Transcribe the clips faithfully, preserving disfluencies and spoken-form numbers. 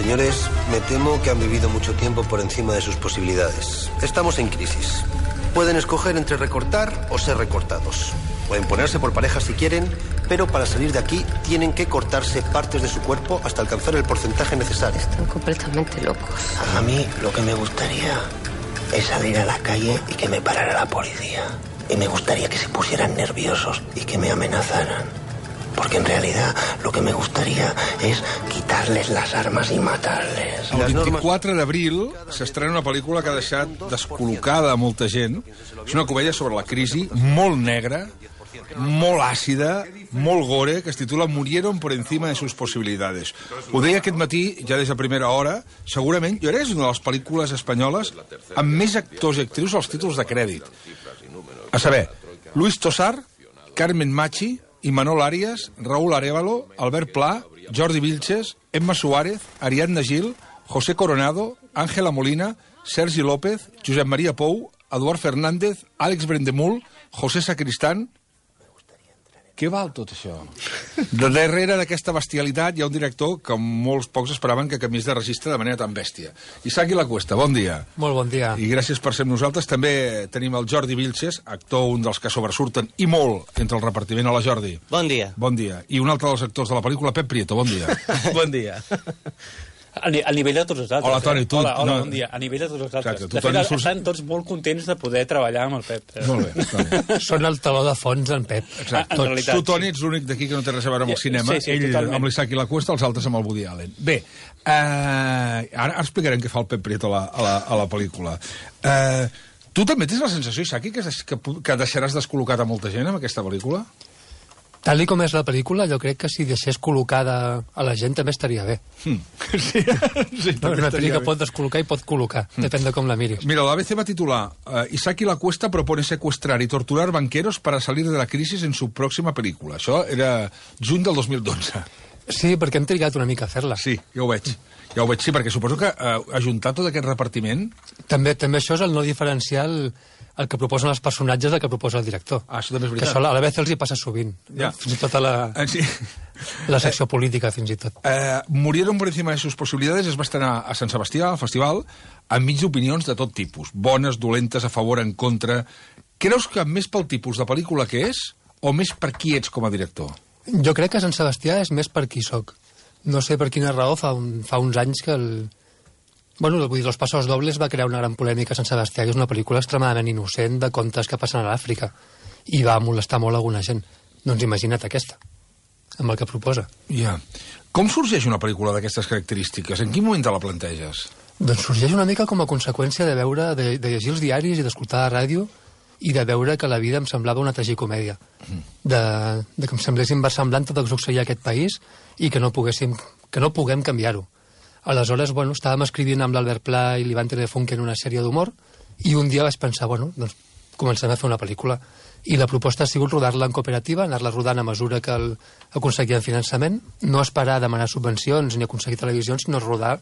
Señores, me temo que han vivido mucho tiempo por encima de sus posibilidades. Estamos en crisis. Pueden escoger entre recortar o ser recortados. Pueden ponerse por pareja si quieren, pero para salir de aquí tienen que cortarse partes de su cuerpo hasta alcanzar el porcentaje necesario. Están completamente locos. A mí lo que me gustaría es salir a la calle y que me parara la policía. Y me gustaría que se pusieran nerviosos y que me amenazaran. Porque en realidad lo que me gustaría és quitar-les les armes i matar-les. El vint-i-quatre d'abril s'estrena una pel·lícula que ha deixat descol·locada a molta gent. És una comèdia sobre la crisi, molt negra, molt àcida, molt gore, que es titula Murieron por encima de sus posibilidades. Ho deia aquest matí, ja des de primera hora, segurament, jo crec que és una de les pel·lícules espanyoles amb més actors i actrius als títols de crèdit. A saber, Luis Tosar, Carmen Machi, Imanol Arias, Raúl Arévalo, Albert Pla, Jordi Vilches, Emma Suárez, Ariadna Gil, José Coronado, Ángela Molina, Sergi López, Josep Maria Pou, Eduard Fernández, Àlex Brendemul, José Sacristán... Què val tot això? De darrere d'aquesta bestialitat hi ha un director que molts pocs esperaven que canviés de registre de manera tan bèstia. Isaki Lacuesta, bon dia. Molt bon dia. I gràcies per ser amb nosaltres. També tenim el Jordi Vilches, actor, un dels que sobresurten, i molt, entre el repartiment. Hola, Jordi. Bon dia. Bon dia. I un altre dels actors de la pel·lícula, Pep Prieto, bon dia. Bon dia. A, ni a nivell de tots els altres. Hola, Toni, tu... Hola, hola no... bon dia. A nivell de tots els altres. Exacte, tu, de fet, Toni, surts... estan tots molt contents de poder treballar amb el Pep. Molt bé, Toni. Són el taló de fons, en Pep. Exacte. Ah, realitat, tu, Toni, ets l'únic d'aquí que no té res a veure amb el cinema. Sí, sí, Ell totalment. amb l'Isaki Lacuesta, els altres amb el Woody Allen. Bé, uh, ara, ara explicarem què fa el Pep Prieto a la, a la, a la pel·lícula. Uh, tu també tens la sensació, Isaki, que, que, que deixaràs descol·locat a molta gent amb aquesta pel·lícula? Tal i com és la pel·lícula, jo crec que si deixés col·locada a la gent també estaria bé. Hmm. Sí, sí, No, una pel·lícula pot descol·locar i pot col·locar, hmm. depèn de com la miris. Mira, la A B C va titular uh, Isaki Lacuesta propone secuestrar y torturar banqueros para salir de la crisis en su próxima película. Això era juny del dos mil dotze. Sí, perquè hem trigat una mica a fer-la. Sí, ja ho veig. Ja ho veig, sí, perquè suposo que uh, ajuntar tot aquest repartiment... També també això és el no diferencial el que proposen els personatges del que proposa el director. Ah, això també és Que veritat. això a la vegada els hi passa sovint. Ja. No? Fins i tot a la, Eh, sí. la secció política, fins i tot. Eh, Murieron por encima de sus posibilidades es va estrenar a Sant Sebastià, al festival, enmig d'opinions de tot tipus. Bones, dolentes, a favor, en contra... Creus que més pel tipus de pel·lícula que és o més per qui ets com a director? Jo crec que Sant Sebastià és més per qui soc. No sé per quina raó, fa, un, fa uns anys que el... Bueno, vull dir, Los Pasos Dobles va crear una gran polèmica a Sant Sebastià, que és una pel·lícula extremadament innocent de contes que passen a l'Àfrica, i va molestar molt alguna gent. Doncs imagina't aquesta, amb el que proposa. Ja. Com sorgeix una pel·lícula d'aquestes característiques? En quin moment te la planteges? Doncs sorgeix una mica com a conseqüència de veure, de, de llegir els diaris i d'escoltar la ràdio i de veure que la vida em semblava una tragicomèdia. De, de que em semblés inversemblant tot el que succeïa a aquest país i que no, poguéssim, que no puguem canviar-ho. Aleshores, bueno, estàvem escrivint amb l'Albert Pla i l'Ivan Telefunken una sèrie d'humor i un dia vaig pensar, bueno, doncs comencem a fer una pel·lícula. I la proposta ha sigut rodar-la en cooperativa, anar-la rodant a mesura que el, aconseguíem finançament, no esperar a demanar subvencions ni aconseguir televisions, sinó rodar,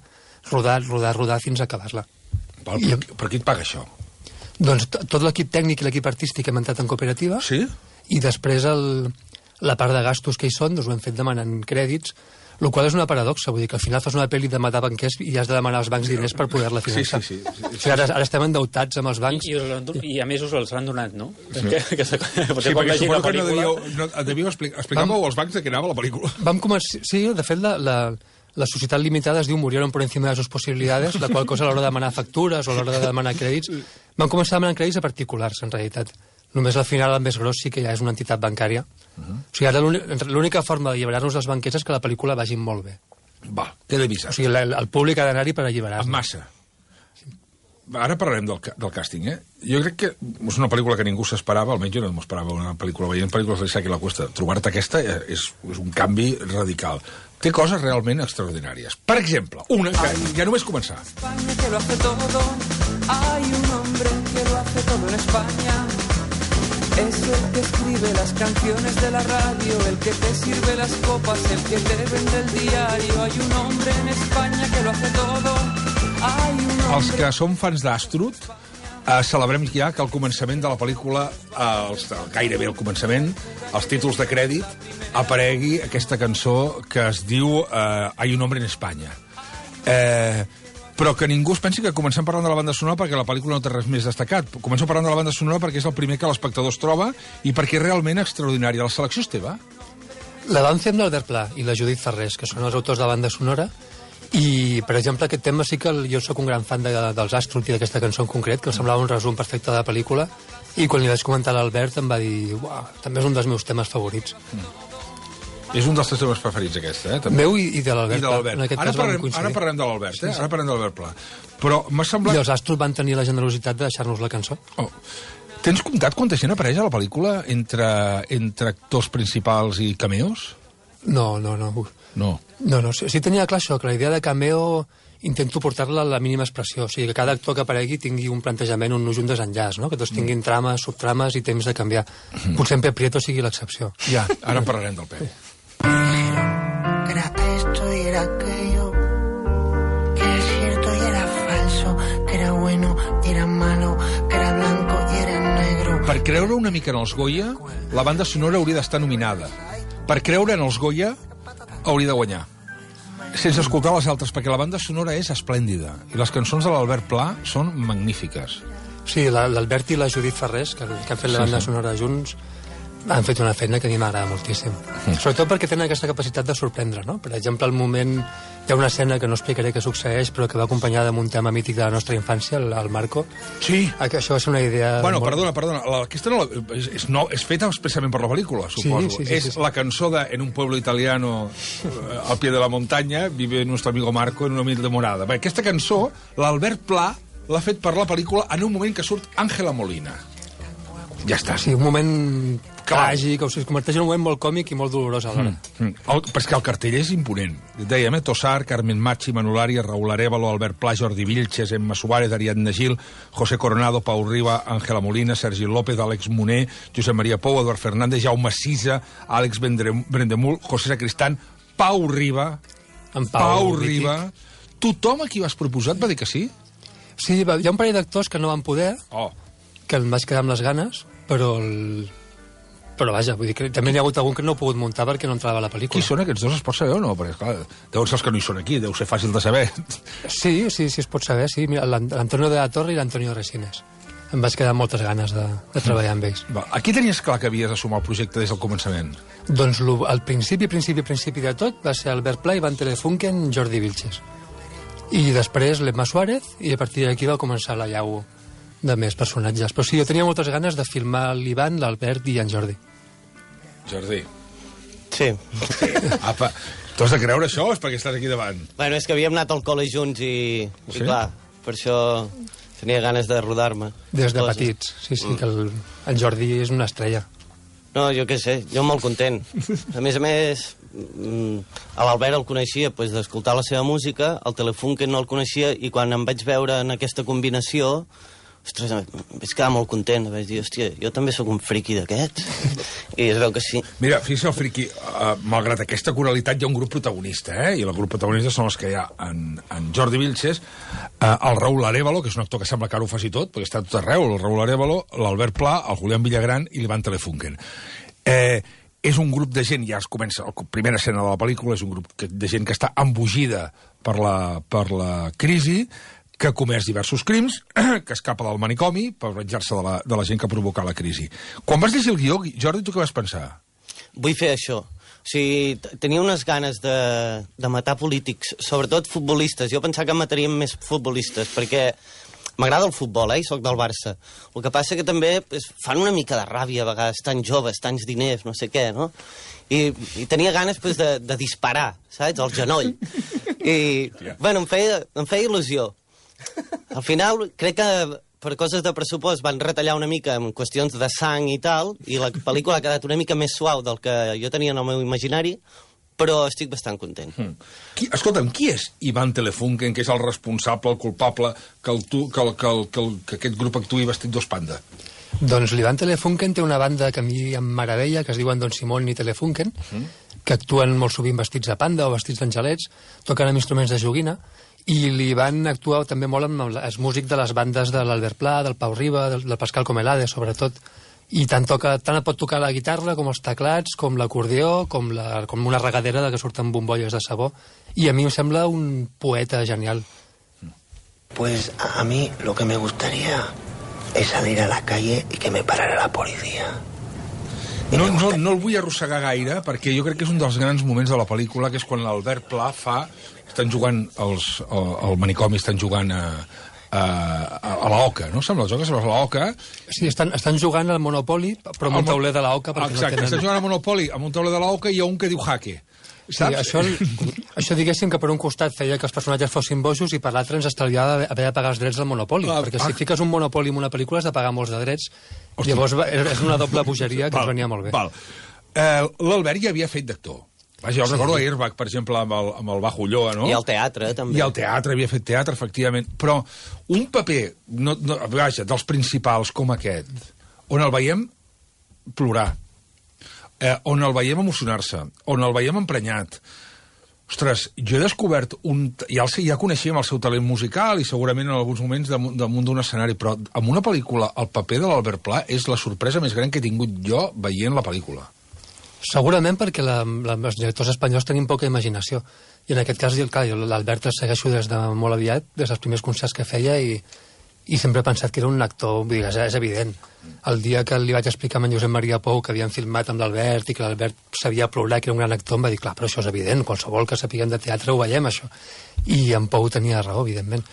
rodar, rodar, rodar fins a acabar-la. Val, per, I, per qui et paga això? Doncs tot l'equip tècnic i l'equip artístic hem entrat en cooperativa. Sí? I després el, la part de gastos que hi són, doncs ho hem fet demanant crèdits, el qual és una paradoxa, vull dir que al final fas una pel·li de matar banquers i has de demanar als bancs diners per poder-la finançar. Sí, sí, sí, sí, sí. O sigui, ara, ara estem endeutats amb els bancs. I, i, i a més us els han donat, no? Sí, que, que, que, sí perquè suposo que no devíeu, no, devíeu explicar, explicàveu als bancs de què anava la pel·lícula. Vam començar, sí, de fet la, la, la societat limitada es diu Murieron por encima de sus posibilidades, la qual cosa a l'hora de demanar factures o a l'hora de demanar crèdits, vam començar a demanar crèdits a particulars, en realitat. Només al final el més gros sí que ja és una entitat bancària. Uh -huh. O sigui, ara l'única forma d'alliberar-nos dels banquers és que la pel·lícula vagi molt bé. Va, té d'avisar. O sigui, el, el públic ha d'anar-hi per alliberar-nos. En massa. Ara parlarem del, del càsting, eh? Jo crec que és una pel·lícula que ningú s'esperava, almenys jo no m'esperava una pel·lícula. Veient pel·lícules de l'Isaki Lacuesta, trobar-te aquesta és, és un canvi radical. Té coses realment extraordinàries. Per exemple, una que ja només començar. España que lo hace todo, hay un hombre que lo hace todo en España. Es el que escribe las canciones de la radio, el que te sirve las copas, el que te vende el diario. Hay un hombre en España que lo hace todo. Hay un hombre... Els que som fans d'Astrud, eh, celebrem ja que al començament de la pel·lícula, eh, els, gairebé al començament, als títols de crèdit, aparegui aquesta cançó que es diu eh, Hay un hombre en España. Eh, però que ningú es pensi que comencem parlant de la banda sonora perquè la pel·lícula no té res més destacat. Comencem parlant de la banda sonora perquè és el primer que l'espectador es troba i perquè és realment extraordinària. La selecció és teva? La van fer amb l'Albert Pla i la Judit Ferrés, que són els autors de la banda sonora, i, per exemple, aquest tema sí que el, jo sóc un gran fan de, dels Astrup i d'aquesta cançó en concret, que em semblava un resum perfecte de la pel·lícula, i quan li vaig comentar a l'Albert em va dir uau, també és un dels meus temes favorits. Mm. És un dels teus temes preferits, aquesta, eh? També. Meu i, i de l'Albert Pla. Ara, parlem, ara parlem de l'Albert, eh? Sí, sí. Ara parlem de l'Albert Pla. Però m'ha semblat... I els Astrup van tenir la generositat de deixar-nos la cançó. Oh. Tens comptat quanta gent apareix a la pel·lícula entre, entre actors principals i cameos? No, no, no. No. No, no. Sí, sí tenia clar això, que la idea de cameo intento portar-la a la mínima expressió. O sigui, que cada actor que aparegui tingui un plantejament, un nus i un desenllaç, no? Que tots tinguin trames, subtrames i temps de canviar. Mm. Potser en Pep Prieto sigui l'excepció. Ja, ara parlarem del Pep. Que era esto y era aquello, que era cierto y era falso, que era bueno y era malo, que era blanco y era negro. Per creure una mica en els Goya, la banda sonora hauria d'estar nominada. Per creure en els Goya, hauria de guanyar. Sense escoltar les altres, perquè la banda sonora és esplèndida. I les cançons de l'Albert Pla són magnífiques. Sí, l'Albert i la Judit Ferrés, que, que han fet la banda sí, sí. sonora junts, han fet una feina que a mi m'agrada moltíssim. Mm. Sobretot perquè tenen aquesta capacitat de sorprendre, no? Per exemple, al moment hi ha una escena que no explicaré què succeeix, però que va acompanyada amb un tema mític de la nostra infància, el, el Marco. Sí. Això va ser una idea... Bueno, molt... perdona, perdona. La, aquesta no, és, és, no, és feta expressament per la pel·lícula, suposo. Sí, sí, sí, és sí, sí. la cançó de En un pueblo italiano al pie de la montaña vive nuestro amigo Marco en una humilde morada. Bé, aquesta cançó, l'Albert Pla l'ha fet per la pel·lícula en un moment que surt Ángela Molina. Ja està. Sí, un moment tràgic, o sigui, es converteix en un moment molt còmic i molt dolorós alhora. Mm, mm. El, però és que el cartell és imponent. Dèiem, eh? Tossar, Carmen Machi, Manolari, Raúl Arévalo, Albert Pla, Jordi Vilches, Emma Suárez, Ariadna Gil, José Coronado, Pau Riba, Ángela Molina, Sergi López, Àlex Moner, Josep Maria Pou, Eduard Fernández, Jaume Sisa, Àlex Brendemul, José Sacristán, Pau Riba, en Pau, Pau Riba... Tothom a qui vas proposar et va dir que sí? Sí, va, hi ha un parell d'actors que no van poder, oh. que em vaig quedar amb les ganes, però el... però vaja, vull dir que també n'hi ha hagut algun que no he pogut muntar perquè no entrava a la pel·lícula. Qui són aquests dos, es pot saber o no? Perquè, clar, deuen ser els que no hi són aquí, deu ser fàcil de saber. Sí, sí, sí, es pot saber, sí. L'Antonio de la Torre i l'Antonio Resines. Em vaig quedar amb moltes ganes de, de treballar amb ells. Va, aquí tenies clar que havies d'assumar el projecte des del començament? Doncs lo, al principi, principi, principi de tot va ser Albert Pla, Ivan Telefunken, Jordi Vilches. I després l'Emma Suárez, i a partir d'aquí va començar la llau de més personatges. Però sí, jo tenia moltes ganes de filmar l'Ivan, l'Albert i en Jordi. Jordi. Sí. Apa, tu has de creure això o és perquè estàs aquí davant? Bueno, és que havíem anat al col·le junts i, sí? i clar, per això tenia ganes de rodar-me. Des de coses. Petits, sí, sí, mm. que el, en Jordi és una estrella. No, jo què sé, jo molt content. A més a més, a l'Albert el coneixia pues, d'escoltar la seva música, el Telefunken no el coneixia, i quan em vaig veure en aquesta combinació, ostres, em vaig quedar molt content. Vaig dir, hòstia, jo també sóc un friqui d'aquests. I es veu que sí. Mira, fixa't el friqui, uh, malgrat aquesta coralitat hi ha un grup protagonista, eh? I el grup protagonista són els que hi ha en, en Jordi Vilches, uh, el Raúl Arévalo, que és un actor que sembla que ara ho faci tot, perquè està tot arreu, el Raúl Arévalo, l'Albert Pla, el Julián Villagran i l'Ivan Telefunken. Eh, és un grup de gent, ja es comença, la primera escena de la pel·lícula és un grup de gent que està embogida per la, per la crisi, que ha comès diversos crims, que escapa del manicomi per venjar-se de, la, de la gent que ha provocat la crisi. Quan vas llegir el guió, Jordi, tu què vas pensar? Vull fer això. O sigui, tenia unes ganes de, de matar polítics, sobretot futbolistes. Jo pensava que mataríem més futbolistes, perquè m'agrada el futbol, eh, i soc del Barça. El que passa que també pues, fan una mica de ràbia a vegades, tan joves, tants diners, no sé què, no? I, i tenia ganes pues, de, de disparar, saps?, al genoll. I, bueno, em feia, em feia il·lusió. Al final, crec que per coses de pressupost van retallar una mica en qüestions de sang i tal, i la pel·lícula ha quedat una mica més suau del que jo tenia en el meu imaginari, però estic bastant content. Hmm. Qui, escolta'm, qui és Ivan Telefunken, que és el responsable, el culpable, que, el tu, que, el, que, el, que, el, que aquest grup actuï vestit d'os panda? Doncs l'Ivan Telefunken té una banda que a mi em meravella, que es diuen Don Simón i Telefunken, hmm. que actuen molt sovint vestits de panda o vestits d'angelets, toquen amb instruments de joguina, i li van actuar també molt amb el músic de les bandes de l'Albert Pla, del Pau Riba, del, del Pascal Comelade, sobretot. i tant, toca, tant et pot tocar la guitarra com els teclats, com l'acordió, com, la, com una regadera de que surten bombolles de sabó, i a mi em sembla un poeta genial. Pues a mí lo que me gustaría es salir a la calle y que me parara la policía. No, no, no el vull arrossegar gaire, perquè jo crec que és un dels grans moments de la pel·lícula, que és quan l'Albert Pla fa... Estan jugant, els, el, el manicomi estan jugant a, a, a la oca, no? Sembla, jocs a la oca. Sí, estan, estan jugant al Monopoly, però amb un tauler de la oca. Exacte, no tenen... estan jugant al Monopoly amb un tauler de la oca i hi ha un que diu jaque. Sí, això, això diguéssim que per un costat feia que els personatges fossin bojos i per l'altre ens estalviava haver de pagar els drets del Monopoli, ah, perquè si ah. fiques un Monopoli en una pel·lícula has de pagar molts de drets. Hosti. Llavors és una doble bogeria que val, ens venia molt bé. Val. Eh, L'Albert ja havia fet d'actor. Vaja, jo sí. recordo a Airbag, per exemple, amb el, amb el Bajo Ulloa, no? I al teatre, també. I al teatre, havia fet teatre, efectivament. Però un paper, no, no, vaja, dels principals com aquest, on el veiem plorar, eh, on el veiem emocionar-se, on el veiem emprenyat. Ostres, jo he descobert un... Ja, el, ja coneixíem el seu talent musical i segurament en alguns moments damunt, damunt d'un escenari, però en una pel·lícula el paper de l'Albert Pla és la sorpresa més gran que he tingut jo veient la pel·lícula. Segurament perquè la, la, els directors espanyols tenim poca imaginació. I en aquest cas, l'Albert el segueixo des de molt aviat, des dels primers concerts que feia, i, i sempre he pensat que era un actor, vull dir, és, és evident. El dia que li vaig explicar a en Josep Maria Pou que havien filmat amb l'Albert i que l'Albert sabia plorar, que era un gran actor, em va dir, clar, però això és evident, qualsevol que sapiguem de teatre ho veiem, això. I en Pou tenia raó, evidentment.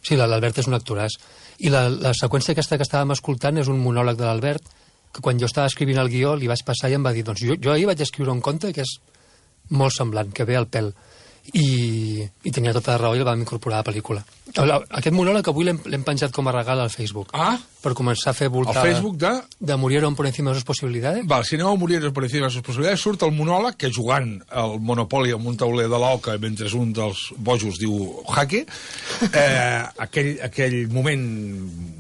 Sí, l'Albert és un actoràs. I la, la seqüència aquesta que estàvem escoltant és un monòleg de l'Albert, que quan jo estava escrivint el guió li vaig passar i em va dir, doncs jo, jo ahir vaig escriure un conte que és molt semblant, que ve al pèl. I, i tenia tota la raó i el vam incorporar a la pel·lícula. Aquest monòleg avui l'hem penjat com a regal al Facebook. Ah? Per començar a fer voltar... El Facebook de... De Murieron por encima de sus posibilidades. Val, si aneu a Murieron por encima de sus posibilidades, surt el monòleg que jugant al Monopoly amb un tauler de l'oca mentre un dels bojos diu jaque, eh, aquell, aquell moment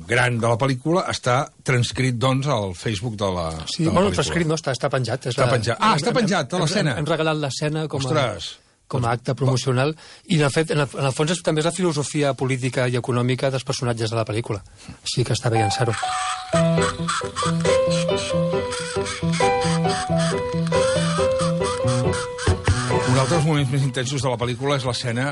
gran de la pel·lícula està transcrit, doncs, al Facebook de la, sí, de la bueno, pel·lícula. transcrit no, està, està penjat. Està la... penjat. Ah, està penjat, a l'escena. Hem regalat l'escena com a... Ostres! com a acte promocional, i de fet, en el, en el fons és, també és la filosofia política i econòmica dels personatges de la pel·lícula. Així que està bé llançar-ho. Un altre dels moments més intensos de la pel·lícula és l'escena,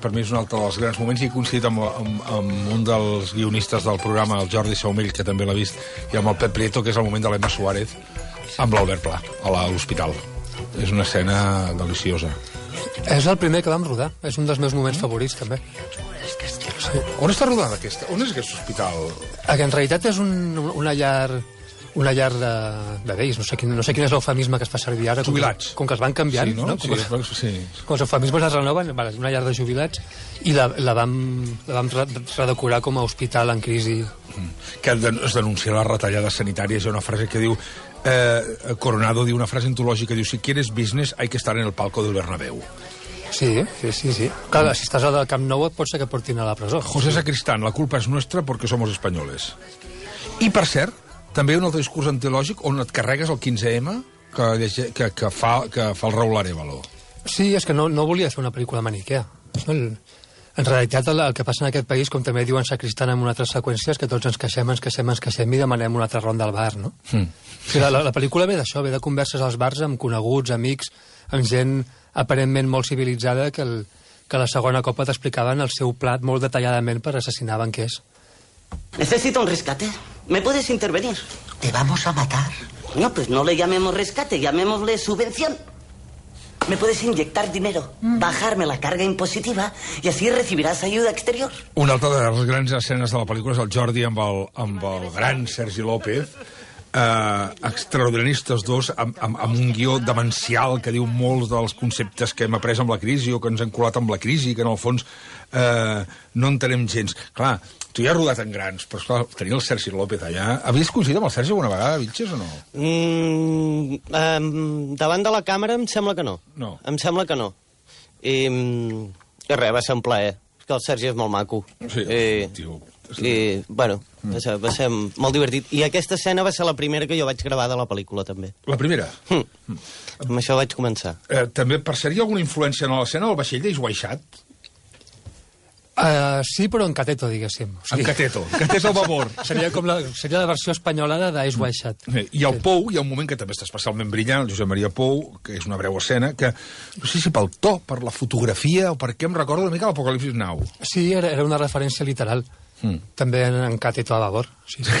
per mi és un altre dels grans moments, i he coincidit amb, amb, amb un dels guionistes del programa, el Jordi Saumell, que també l'ha vist, i amb el Pep Prieto, que és el moment de l'Emma Suárez, amb l'Albert Pla, a l'hospital. És una escena deliciosa. És el primer que vam rodar. És un dels meus moments favorits, també. Sí. On està rodada aquesta? On és aquest hospital? Que en realitat és un, una llar... una llar de, de vells, no sé, quin, no sé quin és l'eufemisme que es fa servir ara. Jubilats. Com que, com que els van canviant, sí, no? no? Sí, com, es, sí. Com els eufemismes es renoven, vale, una llar de jubilats, i la, la vam, la vam redecorar com a hospital en crisi. Que es denuncia les retallades sanitàries. Hi ha una frase que diu... Eh, Coronado diu una frase antològica, diu, si quieres business hay que estar en el palco del Bernabéu. Sí, sí, sí, sí. Clar, si estàs al Camp Nou et pot ser que portin a la presó. José Sacristán, la culpa és nostra perquè somos espanyoles. I, per cert, també hi ha un altre discurs antològic on et carregues el quinze eme que, que, que, fa, que fa el Raúl Arévalo. Sí, és que no, no volia fer una pel·lícula maniquea. El, en realitat, el, el que passa en aquest país, com també diuen Sacristán en una altra seqüència, és que tots ens queixem, ens queixem, ens queixem i demanem una altra ronda al bar, no? Mm. Sí, la, la, la pel·lícula ve d'això, ve de converses als bars amb coneguts, amics, amb gent aparentment molt civilitzada que, el, que la segona copa t'explicaven el seu plat molt detalladament per assassinar banquers. Necesito un rescate. ¿Me puedes intervenir? Te vamos a matar. No, pues no le llamemos rescate, llamémosle subvención. ¿Me puedes inyectar dinero, mm. bajarme la carga impositiva y así recibirás ayuda exterior? Una altra de les grans escenes de la pel·lícula és el Jordi amb el, amb el gran Sergi López, eh, extraordinaris dos, amb, amb, amb un guió demencial que diu molts dels conceptes que hem après amb la crisi o que ens han colat amb la crisi, que en el fons eh, no entenem gens. Clar, tu ja has rodat en grans, però esclar, tenir el Sergi López allà... Havies coincidit amb el Sergi alguna vegada, Vitges, o no? Mm, um, davant de la càmera em sembla que no. No. Em sembla que no. I, i res, va ser un plaer. És que el Sergi és molt maco. Sí, I, tio... I, bueno, mm. va, ser, va ser molt divertit. I aquesta escena va ser la primera que jo vaig gravar de la pel·lícula, també. La primera? Mm. Mm. Amb això vaig començar. Eh, també, per ser, hi ha alguna influència en l'escena del vaixell d'Eix Waixat? Uh, sí, però en cateto, diguéssim. O En cateto, cateto a favor. Seria, com la, seria la versió espanyolada d'Ice White Shut. I el Pou, hi ha un moment que també està especialment brillant, el Josep Maria Pou, que és una breu escena, que no sé si pel to, per la fotografia, o per què em recorda una mica l'Apocalipsis Now. Sí, era, era una referència literal. Mm. També en, en cateto a favor. Sí, sí.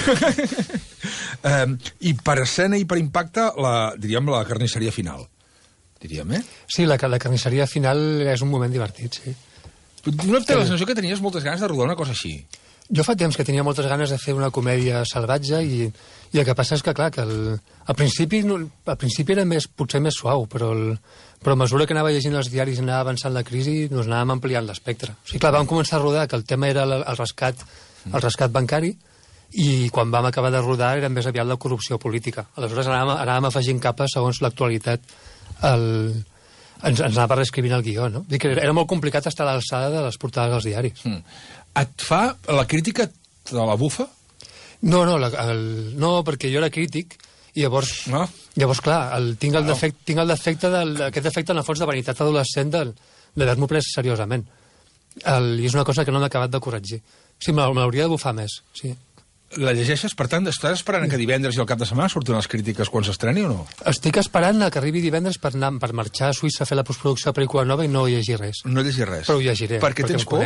um, I per escena i per impacte, la, diríem la carnisseria final. Diríem, eh? Sí, la, la carnisseria final és un moment divertit, sí. No té la sensació que tenies moltes ganes de rodar una cosa així. Jo fa temps que tenia moltes ganes de fer una comèdia salvatge i, i el que passa és que, clar, que el, al, principi, al principi era més, potser més suau, però, el, però a mesura que anava llegint els diaris i anava avançant la crisi, doncs anàvem ampliant l'espectre. O sigui, clar, vam començar a rodar que el tema era el, el, rescat, el rescat bancari i quan vam acabar de rodar era més aviat la corrupció política. Aleshores anàvem, anàvem afegint capes segons l'actualitat el... Ens, ens anava reescrivint el guió, no? Dic que era molt complicat estar a l'alçada de les portades dels diaris. Mm. Et fa la crítica de la bufa? No, no, la, el, no, perquè jo era crític i llavors, no? llavors clar, el, tinc, el no. defecte, tinc el defecte del, aquest defecte en el fons de vanitat adolescent d'haver-m'ho pres seriosament. El, I és una cosa que no m'he acabat de corregir. Sí, me l'hauria de bufar més, sí. La llegeixes, per tant, estàs esperant que divendres i al cap de setmana surtin les crítiques quan s'estreni o no? Estic esperant que arribi divendres per, anar, per marxar a Suïssa a fer la postproducció de pel·lícula nova i no llegir res. No llegir res? Però ho llegiré. Per què tens por?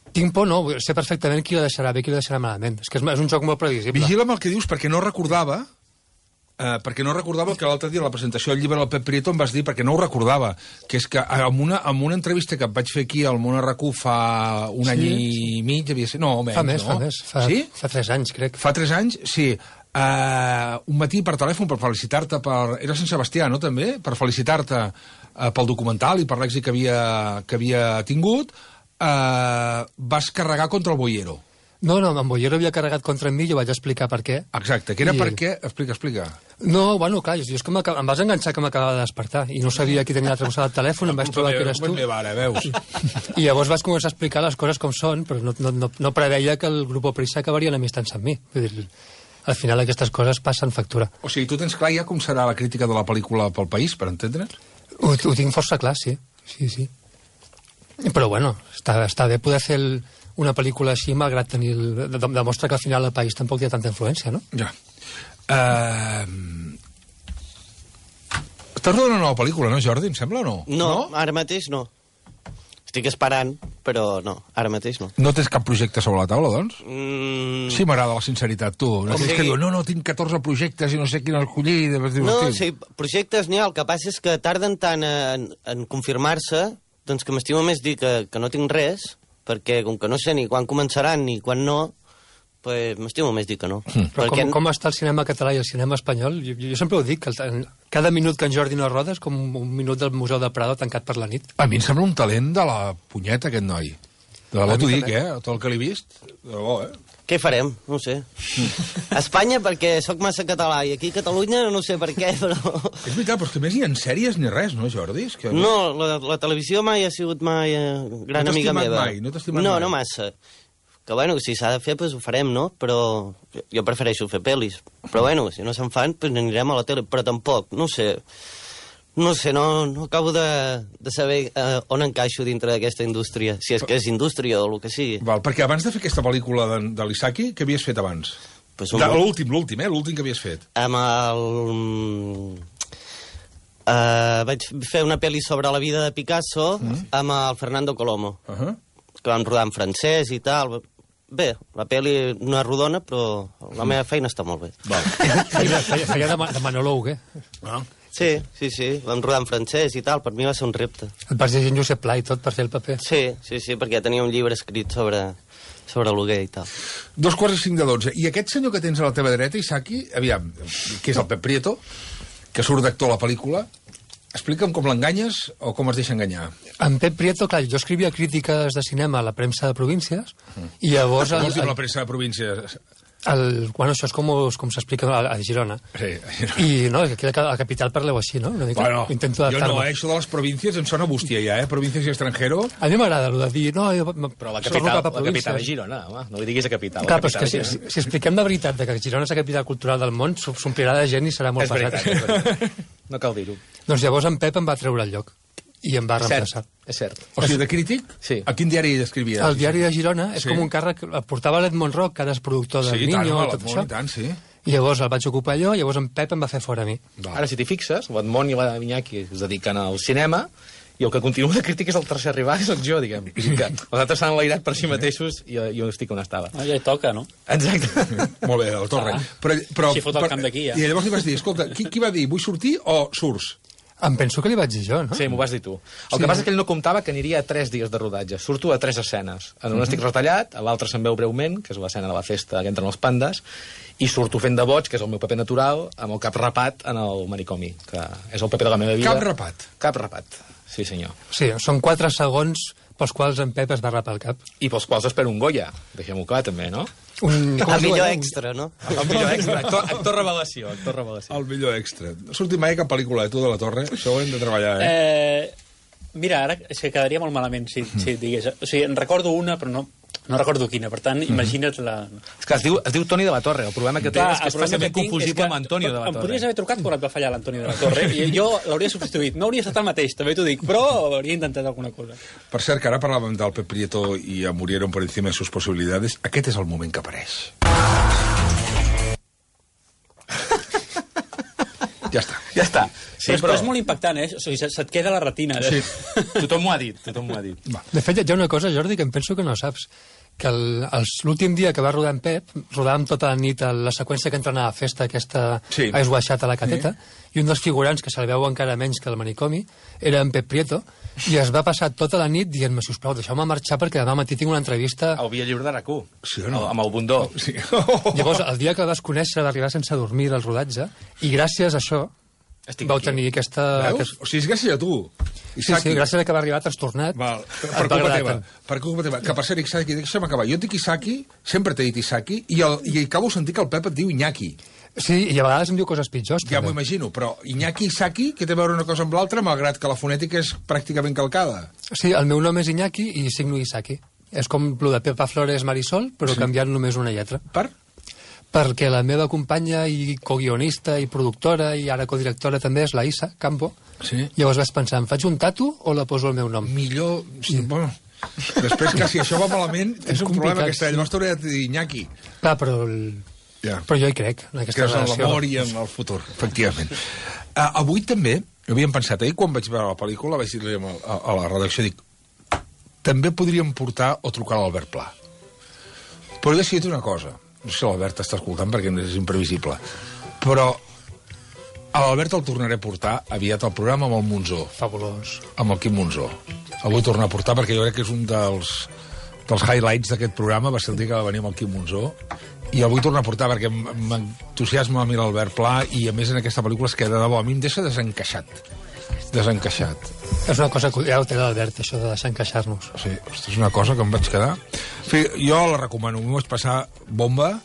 Tinc por, no, sé perfectament qui la deixarà bé i qui la deixarà malament. És que és, és un joc molt previsible. Vigila amb el que dius, perquè no recordava... Uh, perquè no recordava el que l'altre dia a la presentació del llibre del Pep Prieto em vas dir, perquè no ho recordava, que és que en una, en una entrevista que em vaig fer aquí al Món R Q fa un sí. any i mig, havia ser... No, menys, fa més, no? fa més. Fa, sí? Fa tres anys, crec. Fa tres anys, sí. Uh, un matí per telèfon per felicitar-te per... Era Sant Sebastià, no, també? Per felicitar-te uh, pel documental i per l'èxit que havia, que havia tingut, uh, vas carregar contra el Boiero. No, no, en Boiero havia carregat contra mi i jo vaig explicar per què. Exacte, que era I... per què... Explica, explica. No, bueno, clar, jo és que em vas enganxar que m'acabava de despertar i no sabia qui tenia l'altre costat del telèfon, em vaig trobar que eres tu. Meva, veus? I llavors vas començar a explicar les coses com són, però no, no, no, no preveia que el grup Prisa acabarien amistant-se amb mi. Vull dir, al final aquestes coses passen factura. O sigui, tu tens clar ja com serà la crítica de la pel·lícula pel país, per entendre's? Ho, ho tinc força clar, sí. Sí, sí. Però bueno, està, està bé poder fer el... una pel·lícula així, malgrat tenir... El... demostra que al final el país tampoc hi ha tanta influència, no? Ja. Uh... Estàs rodant una nova pel·lícula, no, Jordi, em sembla, o no? No, no? Ara mateix no. Estic esperant, però no, ara mateix no. No tens cap projecte sobre la taula, doncs? Mm... Sí, m'agrada la sinceritat, tu. No tens que dir, no, no, tinc catorze projectes i no sé quin escollir... No, sí, projectes n'hi ha, el que passa és que tarden tant en, en confirmar-se, doncs que m'estimo més dir que, que no tinc res, perquè com que no sé ni quan començaran ni quan no, pues, m'estimo més dir que no. Mm. Però perquè... com, com està el cinema català i el cinema espanyol? Jo, jo sempre ho dic, que el, cada minut que en Jordi no roda és com un minut del Museu del Prado tancat per la nit. A mi em sembla un talent de la punyeta, aquest noi. De debò t'ho dic, eh? Tot el que l'he vist, de debò, eh? Què farem? No ho sé. A Espanya perquè sóc massa català i aquí a Catalunya no sé per què, però... És veritat, però és que més ni en sèries ni res, no, Jordi? És que... No, la, la televisió mai ha sigut mai eh, gran no amiga meva. Mai, no t'has estimat no, mai? No, no massa. Que bueno, si s'ha de fer, doncs ho farem, no? Però jo prefereixo fer pel·lis. Però bueno, si no se'n fan, doncs anirem a la tele. Però tampoc, no sé... No sé, no, no acabo de, de saber eh, on encaixo dintre d'aquesta indústria, si és que és indústria o el que sigui. Val, perquè abans de fer aquesta pel·lícula de, de l'Isaki, què havies fet abans? Pues un... L'últim, l'últim, eh? L'últim que havies fet. Amb el... Uh, vaig fer una pel·li sobre la vida de Picasso mm. amb el Fernando Colomo, uh -huh. que vam rodar en francès i tal. Bé, la pel·li no és rodona, però la meva feina està molt bé. Val. feia, feia de, de monòleg, eh? Ah. Sí, sí, sí, vam rodar en francès i tal, per mi va ser un repte. Et vas llegir en Josep Pla i tot per fer el paper? Sí, sí, sí, perquè tenia un llibre escrit sobre, sobre l'Huguet i tal. Dos quarts i cinc de dotze. I aquest senyor que tens a la teva dreta, Isaki, aviam, que és el Pep Prieto, que surt d'actor a la pel·lícula, explica'm com l'enganyes o com es deixa enganyar. En Pep Prieto, clar, jo escrivia crítiques de cinema a la premsa de províncies, mm. i llavors... Què vols dir la premsa de províncies? El, bueno, això és com, com s'explica a, a Girona. Sí, a Girona. I no, aquí a la capital parleu així, no? Una mica. Bueno, intento jo no, eh? Això de les províncies em sona bústia ja, eh? Províncies i estrangero. A mi m'agrada el de dir... No, jo, però la capital, la capital és Girona, home. No li diguis a capital. Clar, però és que si, si, si expliquem de veritat que Girona és la capital cultural del món, s'omplirà de gent i serà molt és pesat. Veritat, és veritat. No cal dir-ho. Doncs llavors en Pep em va treure el lloc. i em va reemplaçar. És cert. O sigui, de crític? Sí. A quin diari escrivia? El diari de Girona és Sí. com un càrrec... El portava l'Edmond Roc, que ara és productor del Sí, i tant, Niño, home, tot l'Edmond, això. i tant, sí. I llavors el vaig ocupar jo, i llavors en Pep em va fer fora a mi. Va. Ara, si t'hi fixes, l'Edmond i la Iñaki es dediquen al cinema, i el que continua de crític és el tercer arribat, és el jo, diguem. Vull dir que els altres s'han enlairat per si mateixos i jo, jo estic on estava. Ah, ja hi toca, no? Exacte. Molt bé, el Torre. Ah. Però, però, Així fot el camp d'aquí, ja. I llavors li vas dir, escolta, qui, qui va dir, vull sortir o surts? Em penso que li vaig dir jo, no? Sí, m'ho vas dir tu. El Sí. que passa és que ell no comptava que aniria a tres dies de rodatge. Surto a tres escenes. En una estic retallat, a l'altra se'n veu breument, que és l'escena de la festa que entren els pandes, i surto fent de boig, que és el meu paper natural, amb el cap rapat en el manicomi, que és el paper de la meva vida. Cap rapat? Cap rapat, sí senyor. Sí, són quatre segons pels quals en Pep es va rapar el cap. I pels quals espero un Goya, deixem-ho clar també, no? Un, com El es diu millor allò? extra, no? El millor extra, actor, actor revelació, actor revelació. El millor extra. No ha sortit mai cap pel·lícula de tu de la Torre? Això ho hem de treballar, eh? Eh, mira, ara és que quedaria molt malament si, si et digués... O sigui, en recordo una, però no, no recordo quina. Per tant, imagina't la... És que es diu, es diu Toni de la Torre. El problema que té Clar, és que el és problema fàcilment que tinc confusible és que amb Antonio de la Em Torre. podries haver trucat quan et va fallar l'Antonio de la Torre i jo l'hauria substituït. No hauria estat el mateix, també t'ho dic, però hauria intentat alguna cosa. Per cert, que ara parlàvem del Pep Prieto i a Murieron por encima de sus posibilidades. Aquest és el moment que apareix. Ja està. Ja està. Sí, però, però és molt impactant, eh? O sigui, se- se't queda a la retina. Eh? Sí. Tothom m'ho ha dit, tothom m'ho ha dit. Va. De fet, hi ha una cosa, Jordi, que em penso que no saps. Que el- els- l'últim dia que va rodar en Pep, rodàvem tota la nit a la seqüència que entra a la festa, aquesta Sí. Ice Washat a la cateta, i un dels figurants, que se li veu encara menys que el manicomi, era en Pep Prieto, i es va passar tota la nit dient-me, sisplau, deixeu-me marxar perquè demà matí tinc una entrevista... El Via Lliure de RAC u. Sí o no? Amb el bundó. Sí. Llavors, el dia que el vas conèixer va arribar sense dormir al rodatge, i gràcies a això Estic vau aquí. tenir aquesta... Veus? aquest- O sigui, és gràcies a tu. Sí, sí, gràcies a que va arribar trastornat. Val. Per, et per va culpa agradar teva. tant. Per culpa teva. Que per ser Isaki, deixa'm acabar. Jo et dic Isaki, sempre t'he dit Isaki, i, el, i acabo sentir que el Pep et diu Iñaki. Sí, i a vegades em diu coses pitjors. Ja m'ho també. imagino, però Iñaki i Isaki, que té a veure una cosa amb l'altra, malgrat que la fonètica és pràcticament calcada. Sí, el meu nom és Iñaki i signo Isaki. És com el de Pepa Flores Marisol, però sí. canviant només una lletra. Per? Perquè la meva companya i coguionista i productora i ara codirectora també és la Isa Campo. Sí. Llavors vas pensar, em faig un tatu o la poso el meu nom? Millor... Sí, bueno, després que si això va malament, és un complicat, problema aquesta. sí. Llavors t'hauré de dir Iñaki. Clar, però, el... Ja. però jo hi crec, en aquesta Creus en relació. l'amor i en el futur, efectivament. Uh, avui també, havíem pensat, ahir quan vaig veure la pel·lícula, vaig dir-li a, a, a la redacció, dic, també podríem portar o trucar a l'Albert Pla. Però he decidit una cosa, no sé si l'Albert està escoltant perquè és imprevisible, però a l'Albert el tornaré a portar aviat al programa amb el Monzó, Fabulós. amb el Quim Monzó. El vull tornar a portar perquè jo crec que és un dels, dels highlights d'aquest programa, va ser el dia que va venir amb el Quim Monzó, i el vull tornar a portar perquè m- m'entusiasma a mi l'Albert Pla i a més en aquesta pel·lícula és que de debò a mi em deixa desencaixat. Desencaixat. És una cosa que ja ho té l'Albert, això de deixar encaixar-nos. Sí, ostres, és una cosa que em vaig quedar. En fi, jo la recomano, m'ho vaig passar bomba,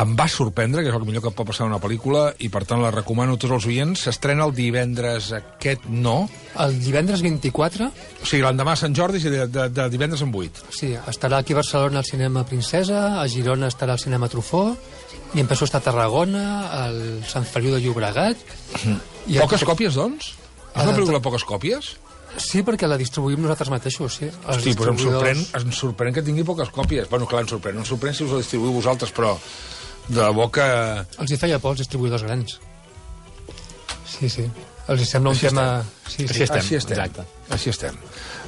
em va sorprendre, que és el millor que pot passar en una pel·lícula, i per tant la recomano a tots els oients. S'estrena el divendres aquest, no? El divendres vint-i-quatre, O sigui, l'endemà a Sant Jordi i de, de, de divendres en vuit. sí, estarà aquí a Barcelona al cinema Princesa, a Girona estarà al cinema Trufó, i em penso estar a Tarragona, al Sant Feliu de Llobregat... I Poques còpies, doncs? És una Ah, pel·lícula de poques còpies? Sí, perquè la distribuïm nosaltres mateixos, sí. Els Hosti, però em sorprèn, distribuïdors- em sorprèn que tingui poques còpies. Bueno, clar, em sorprèn. Em sorprèn si us la distribuïu vosaltres, però de debò que... Els hi feia por, els distribuïdors grans. Sí, sí. Els hi sembla un Així tema... Sí, Així sí. estem, Així estem. exacte. Així estem.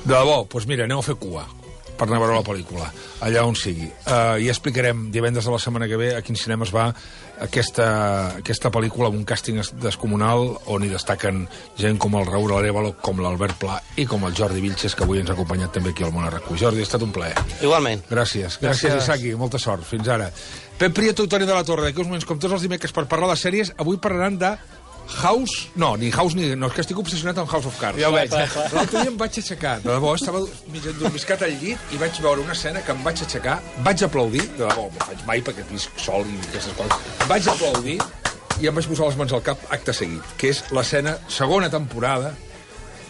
De debò, doncs mira, aneu a fer cua per anar a veure la pel·lícula, allà on sigui. Uh, I explicarem divendres de la setmana que ve a quins cinemes va aquesta, aquesta pel·lícula amb un càsting es- descomunal on hi destaquen gent com el Raúl Arévalo, com l'Albert Pla i com el Jordi Vilches, que avui ens ha acompanyat també aquí al Món Arracú. Jordi, ha estat un plaer. Igualment. Gràcies. Gràcies, Gràcies. Isaki. Molta sort. Fins ara. Pep Prieto i Toni de la Torre, d'aquí uns moments, com tots els dimecres, per parlar de sèries, avui parlaran de House... No, ni House ni... No, és que estic obsessionat amb House of Cards. Ja ho veig. L'altre dia em vaig aixecar, de debò, estava mig endormiscat al llit i vaig veure una escena que em vaig aixecar, vaig aplaudir, de debò, no ho faig mai perquè visc sol i aquestes coses, vaig aplaudir i em vaig posar les mans al cap acte seguit, que és l'escena, segona temporada,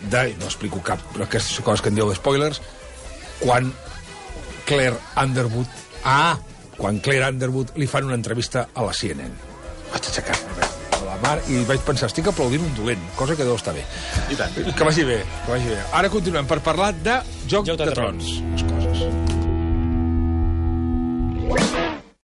de... no explico cap, aquestes coses que en dieu de spoilers, quan Claire Underwood... Ah! Quan Claire Underwood li fan una entrevista a la C N N. Vaig aixecar-me. la mar, i vaig pensar, estic aplaudint un dolent, cosa que deu estar bé. I tant. Que vagi bé, que vagi bé. Ara continuem per parlar de Joc, Joc de, de Trons. Trons.